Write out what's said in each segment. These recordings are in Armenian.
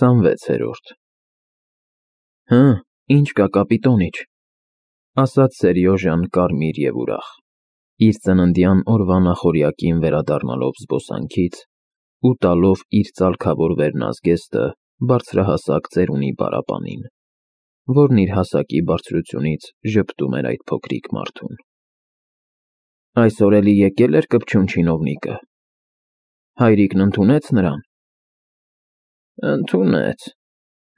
26-րդ Ինչ կա կապիտոնիչ, ասաց Սերյոժան կարմիր և ուրախ, իր ծննդյան օրվա նախօրյակին վերադառնալով զբոսանքից ու տալով իր ծալքավոր վերնազգեստը բարձրահասակ ծերունի պարապանին, որն իր հասակի բարձրությունից ժպտում էր այդ փոքրիկ մարդուն։ Այսօր էլի եկել էր կպչուն չինովնիկը, հայրիկն ընդունեց նրան։ Ընդունեց,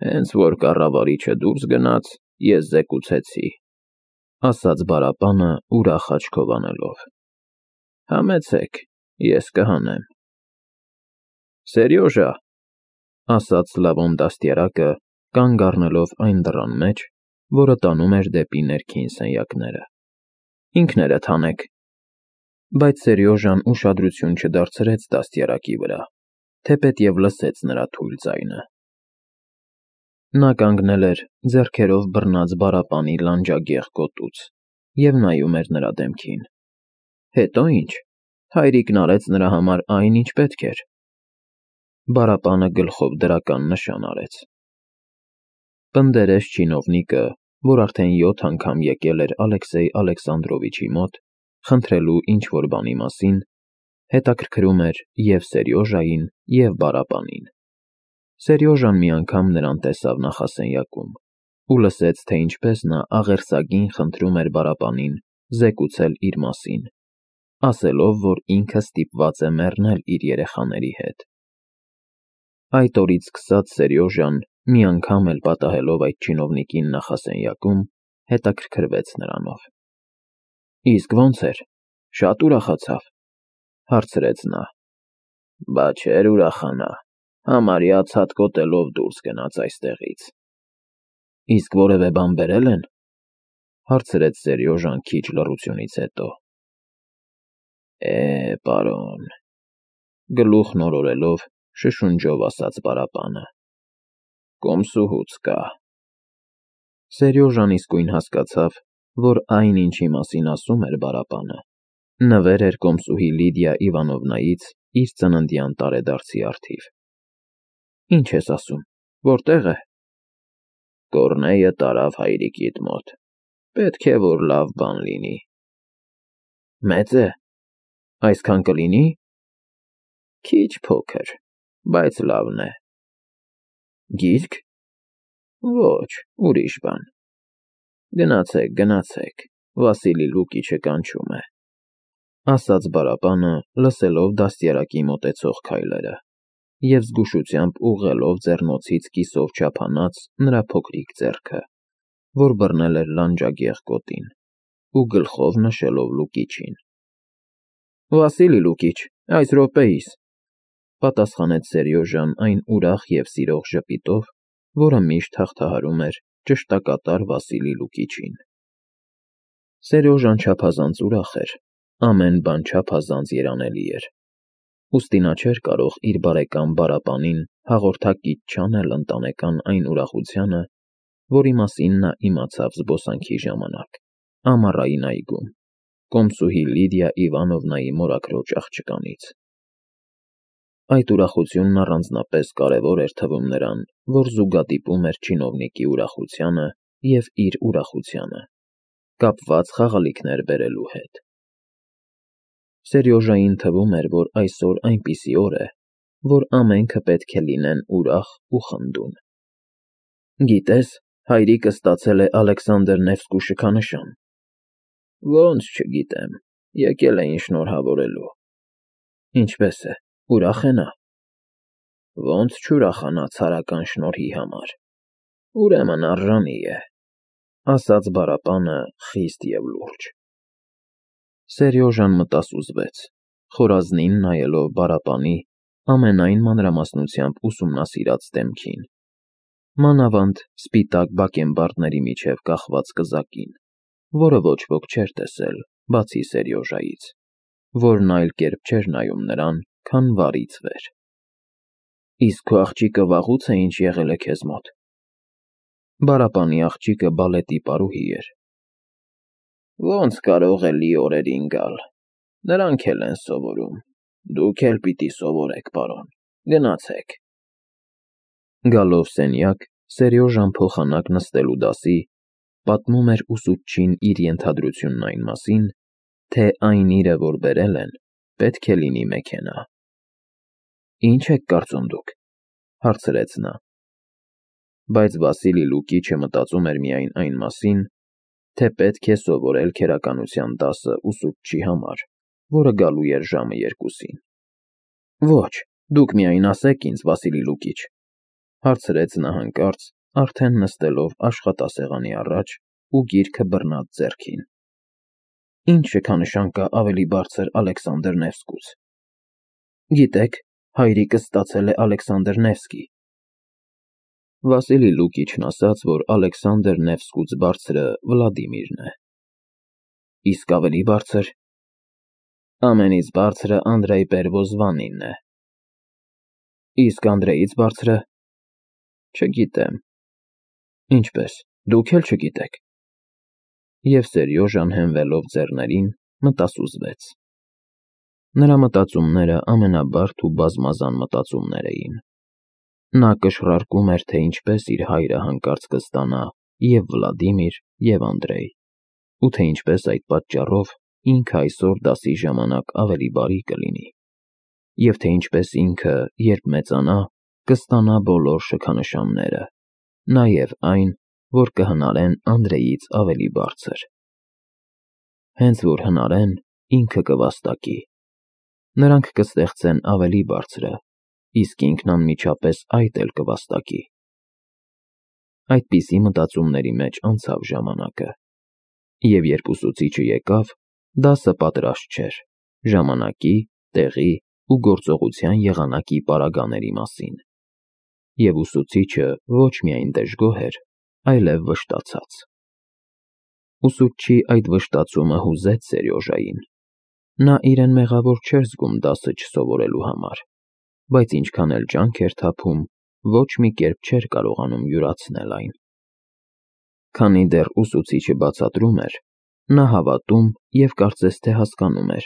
հենց որ կառավարիչը դուրս գնաց, ես զեկուցեցի, ասաց պարապանը ուրախ աչքով անելով։ Համեցեք, ես կհանեմ։ Սերյոժա, ասաց Լևոն դաստիարակը, կանգ առնելով այն դռան մեջ, որը տանում էր դեպի ներքին սենյակները։ Ինքներդ հանեք։ Բայց Սերյոժան ուշադրություն չդարձրեց դաստիարակի վրա, թեպետև լսեց նրա թույլ ձայնը։ Նա կանգնել էր ձեռքերով բռնած պարապանի լանջագեղ գոտուց և նայում էր նրա դեմքին։ Հետո ինչ, հայրիկն արեց նրա համար այն, ինչ պետք էր։ Պարապանը գլխով դրական նշան արեց։ Պնդերես չինովնիկը, որ արդեն 7 անգամ եկել էր Ալեքսեյ Ալեքսանդրովիչի մոտ, խնդրելու ինչ-որ բանի մասին, հետաքրքրում էր և Սերյոժային, և պարապանին։ Սերյոժան մի անգամ նրան տեսավ նախասենյակում ու լսեց, թե ինչպես նա աղերսագին խնդրում էր պարապանին զեկուցել իր մասին, ասելով, որ ինքը ստիպված է մեռնել իր երեխաների հետ։ Այդ օրից սկսած Սերյոժան, մի անգամ էլ պատահելով այդ չինովնիկին նախասենյակում, հետաքրքրվեց նրանով։ Իսկ ո՞նց էր, շատ ուրախացավ, հարցրեց նա։ Բա չէր ուրախանա, համարյա ցատկոտելով դուրս գնաց այստեղից։ Իսկ որևէ բան բերել են, հարցրեց Սերյոժան քիչ լռությունից հետո։ Պարոն, գլուխն օրորելով, շշունջով ասաց պարապանը, կոմսուհուց կա։ Սերյոժան իսկույն հասկացավ, որ այն, ինչի մասին ասում էր պարապանը, նվեր էր կոմսուհի Լիդիա Իվանովնայից իր ծննդյան տարեդարձի առթիվ։ Ինչ ես ասում, որտեղ է։ Կոռնեյը տարավ հայրիկիդ մոտ, պետք է, որ լավ բան լինի։ Մեծ է, այսքան կլինի։ Քիչ փոքր, բայց լավն է։ Գիրք։ Ոչ, ուրիշ բան։ Գնացեք, Վասիլի Լուկիչը կանչում է, ասաց պարապանը, լսելով դաստիարակի մոտեցող քայլերը և զգուշությամբ ուղղելով ձեռնոցից կիսով չափանած նրա փոքրիկ ձեռքը, որ բռնել էր լանջագեղ գոտին, ու գլխով նշելով Լուկիչին։ Վասիլի Լուկիչ, այս րոպեիս, պատասխանեց Սերյոժան այն ուրախ և սիրող ժպիտով, որը միշտ հաղթահարում էր ճշտակատար Վասիլի Լուկիչին։ Սերյոժան չափազանց ուրախ էր, ամեն բան չափազանց երանելի էր, ուստի նա չէր կարող իր բարեկամ պարապանին հաղորդակից չանել ընտանեկան այն ուրախությանը, որի մասին նա իմացավ զբոսանքի ժամանակ, ամառային այգում, կոմսուհի Լիդիա Իվանովնայի մորաքրոջ աղջկանից։ Այդ ուրախությունն առանձնապես կարևոր էր թվում նրան, որ զուգադիպում էր չինովնիկի ուրախությանը և իր ուրախությանը, կապված խաղալիքներ բերելու հետ։ Սերյոժային թվում էր, որ այսօր այնպիսի օր է, որ ամենքը պետք է լինեն ուրախ ու խնդուն։ Գիտես, հայրիկը ստացել է Ալեքսանդր Նևսկու շքանշան։ Ոնց չգիտեմ, եկել էին շնորհավորելու։ Ինչպես է, ուրախ է նա։ Ոնց չուրախանա ցարական շնորհի համար։ Ուրեմն արժանի է, ասաց պարապանը խիստ և լուրջ։ Սերյոժան մտասուզվեց, խորազնին նայելով պարապանի ամենայն մանրամասնությամբ ուսումնասիրած դեմքին, մանավանդ սպիտակ բակենբարդների միջև կախված կզակին, որը ոչ ոք չէր տեսել, բացի Սերյոժայից, որն այլ կերպ չէր նայում նրան, քան վարից վեր։ Իսկ քո աղջիկը վաղուց է ինչ եղել է քեզ մոտ։ Պարապանի աղջիկը բալետի պարուհի էր։ Ոնց կարող է լի օրերին գալ, նրանք էլ են սովորում, դուք էլ պիտի սովորեք, պարոն, գնացեք։ Գալով սենյակ, Սերյոժան փոխանակ նստելու դասի, պատմում էր ուսուցչին իր ենթադրությունն այն մասին, թե այն իրը, որ բերել են, պետք է լինի մեքենա։ «Ինչ եք կարծում դուք», հարցրեց նա։ Բայց Վասիլի Լուկիչը մտածում էր միայն այն մասին, թե պետք է սովորել քերականության դասը ուսուցչի համար, որը գալու էր ժամը 2-ին։ «Ոչ, դուք միայն ասեք ինձ, Վասիլի Լուկիչ», հարցրեց նա հանկարծ, արդեն նստելով աշխատասեղանի առաջ ու գիրքը բռնած ձեռքին։ «Ինչ շքանշան կա ավելի բարձր Ալեքսանդր Նևսկուց»։ «Գիտեք, հայրիկս ստացել է Ալեքսանդր Նևսկի»։ Վասիլի Լուկիչն ասաց, որ Ալեքսանդր Նևսկուց բարձրը Վլադիմիրն է։ «Իսկ ավելի բարձր»։ «Ամենից բարձրը Անդրեյ Պերվոզվանինն է»։ «Իսկ Անդրեյից բարձրը»։ «Չգիտեմ»։ «Ինչպես, դուք էլ չգիտեք»։ Եվ Սերյոժան հենվելով ձեռներին, մտասուզվեց։ Նրա մտածումները ամենաբարդ ու բազմազան մտածումներ էին։ Նա կշռարկում էր, թե ինչպես իր հայրը հանկարծ կստանա և Վլադիմիր, և Անդրեյ, ու թե ինչպես այդ պատճառով ինքը այսօր դասի ժամանակ ավելի բարի կլինի, և թե ինչպես ինքը, երբ մեծանա, կստանա բոլոր շքանշանները, նաև այն, որ կհնարեն Անդրեյից ավելի բարձր։ Հենց որ հնարեն, ինքը կվաստակի։ Նրանք կստեղծեն ավելի բարձրը, իսկ ինքն անմիջապես այդ էլ կվաստակի։ Այդպիսի մտածումների մեջ անցավ ժամանակը, և երբ ուսուցիչը եկավ, դասը պատրաստ չէր ժամանակի, տեղի ու գործողության եղանակի պարագաների մասին, և ուսուցիչը ոչ միայն դժգոհ էր, այլև վշտացած։ Ուսուցչի այդ վշտացումը հուզեց Սերյոժային։ Նա իրեն մեղավոր չէր զգում դասը չսովորելու համար, բայց ինչքան էլ ջանք էր թափում, ոչ մի կերպ չէր կարողանում յուրացնել այն։ Քանի դեռ ուսուցիչը բացատրում էր, նա հավատում և կարծես թե հասկանում էր,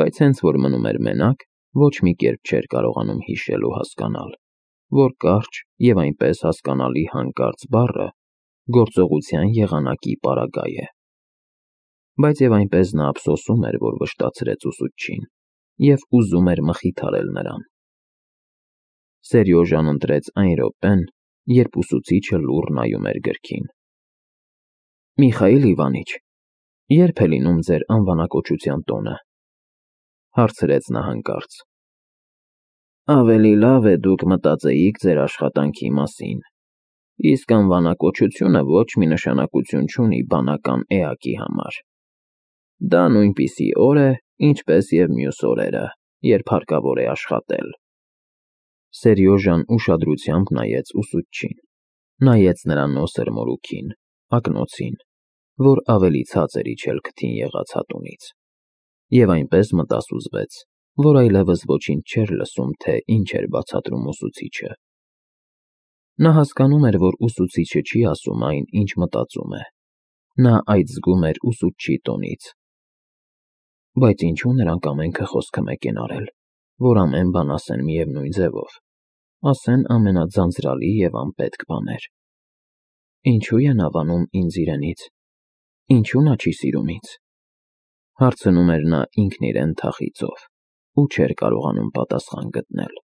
բայց հենց որ մնում էր մենակ, ոչ մի կերպ չէր կարողանում հիշել ու հասկանալ, որ կարճ և այնպես հասկանալի հանկարծ բառը գործողության եղանակի պարագա է։ Բայց և այնպես նա ափսոսում էր, որ վշտացրեց ուսուցչին, և ուզում էր մխիթարել նրան։ Սերյոժան ընտրեց այն րոպեն, երբ ուսուցիչը լուռ նայում էր գրքին։ «Միխայիլ Իվանիչ, ե՞րբ է լինում ձեր անվանակոչության տոնը», հարցրեց նա հանկարծ։ «Ավելի լավ է դուք մտածեիք ձեր աշխատանքի մասին, իսկ անվանակոչությունը ոչ մի նշանակություն չունի բանական էակի համար։ Դա նույնպիսի օր է, ինչպես և մյուս օրերը, երբ հարկավոր է աշխատել»։ Սերյոժան ուշադրությամբ նայեց ուսուցչին, նայեց նրա նոսր մորուքին, ակնոցին, որ ավելի ցած էր իջել քթին եղած հատունից, և այնպես մտասուզվեց, որ այլևս ոչինչ չէր լսում, թե ինչ էր բացատրում ուսուցիչը։ Նա հասկանում էր, որ ուսուցիչը չի ասում այն, ինչ մտածում է։ Նա այդ զգում էր ուսուցչի տոնից։ Բայց ինչու նրանք ամենքը խոսքը մեկ են արել, որ ամեն բան ասեն միևնույն ձևով, ասեն ամենաձանձրալի և անպետք բաներ։ Ինչու են հավանում ինձ իրենից, ինչու նա չի սիրում ինձ, հարցնում էր նա ինքն իրեն թախիծով ու չէր կարողանում պատասխան գտնել։